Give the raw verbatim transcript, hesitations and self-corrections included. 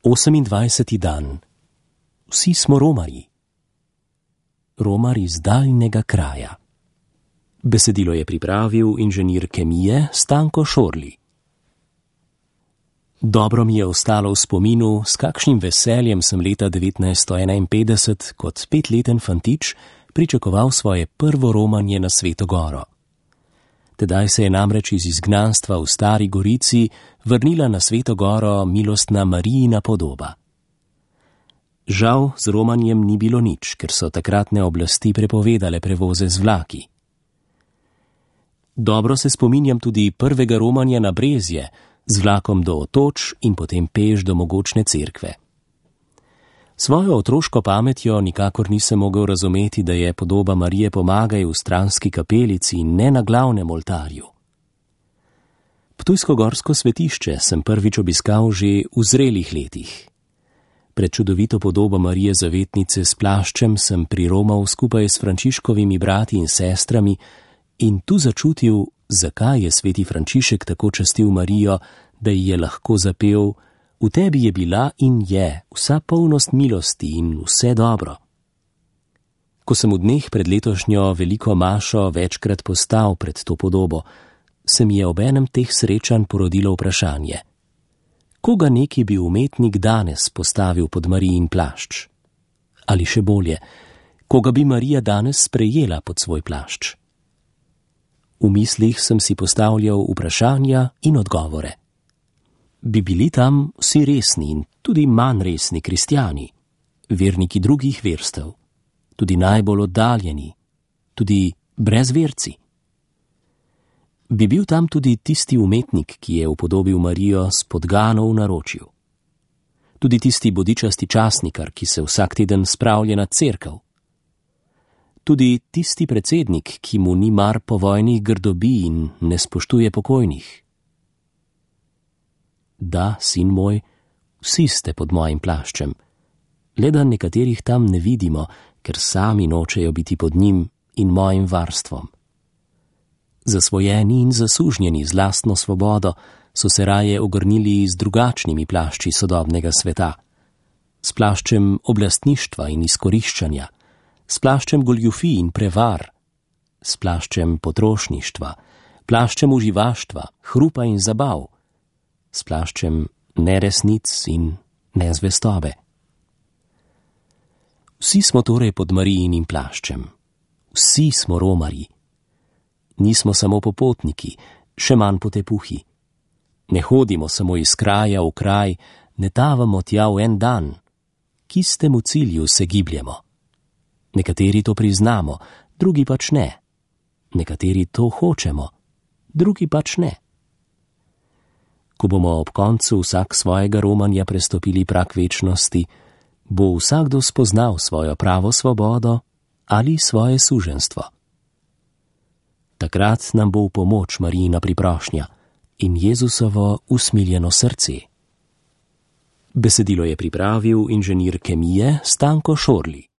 Osemindvajseti dan. Vsi smo romarji. Romar iz daljnega kraja. Besedilo je pripravil inženir kemije Stanko Šorli. Dobro mi je ostalo v spominu, s kakšnim veseljem sem leta devetnajststo enainpetdeset kot petleten fantič pričakoval svoje prvo romanje na Sveto Goro. Tedaj se je namreč iz izgnanstva v Stari Gorici vrnila na Sveto Goro milostna Marijina podoba. Žal z romanjem ni bilo nič, ker so takratne oblasti prepovedale prevoze z vlaki. Dobro se spominjam tudi prvega romanja na Brezje, z vlakom do Otoč in potem peš do mogočne cerkve. Svojo otroško pametjo nikakor nisem mogel razumeti, da je podoba Marije Pomagaj v stranski kapelici in ne na glavnem oltarju. Ptujsko-gorsko svetišče sem prvič obiskal že v zrelih letih. Pred čudovito podobo Marije Zavetnice s plaščem sem priromal skupaj s Frančiškovimi brati in sestrami in tu začutil, zakaj je sveti Frančišek tako častil Marijo, da ji je lahko zapel: V tebi je bila in je vsa polnost milosti in vse dobro. Ko sem v dneh pred letošnjo veliko mašo večkrat postal pred to podobo, se mi je ob enem teh srečanj porodilo vprašanje: koga neki bi umetnik danes postavil pod Marijin plašč? Ali še bolje, koga bi Marija danes sprejela pod svoj plašč? V mislih sem si postavljal vprašanja in odgovore. Bi bili tam vsi resni in tudi manj resni kristjani, verniki drugih verstev, tudi najbolj oddaljeni, tudi brezverci? Bi bil tam tudi tisti umetnik, ki je upodobil Marijo s podgano v naročju? Tudi tisti bodičasti časnikar, ki se vsak teden spravlja na cerkev? Tudi tisti predsednik, ki mu ni mar povojnih grdobi in ne spoštuje pokojnih? Da, sin moj, vsi ste pod mojim plaščem, le da nekaterih tam ne vidimo, ker sami nočejo biti pod njim in mojim varstvom. Zasvojeni in zasužnjeni z lastno svobodo so se raje ogrnili z drugačnimi plašči sodobnega sveta, s plaščem oblastništva in izkoriščanja, s plaščem goljufij in prevar, s plaščem potrošništva, plaščem uživaštva, hrupa in zabav, s plaščem neresnic in nezvestobe. Vsi smo torej pod Marijinim plaščem. Vsi smo romarji. Nismo samo popotniki, še manj potepuhi. Ne hodimo samo iz kraja v kraj, ne tavamo tja v en dan. K istemu cilju se gibljemo. Nekateri to priznamo, drugi pač ne. Nekateri to hočemo, drugi pač ne. Ko bomo ob koncu vsak svojega romanja prestopili prag večnosti, bo vsakdo spoznal svojo pravo svobodo ali svoje suženstvo. Takrat nam bo v pomoč Marijina priprošnja in Jezusovo usmiljeno srce. Besedilo je pripravil inženir kemije Stanko Šorli.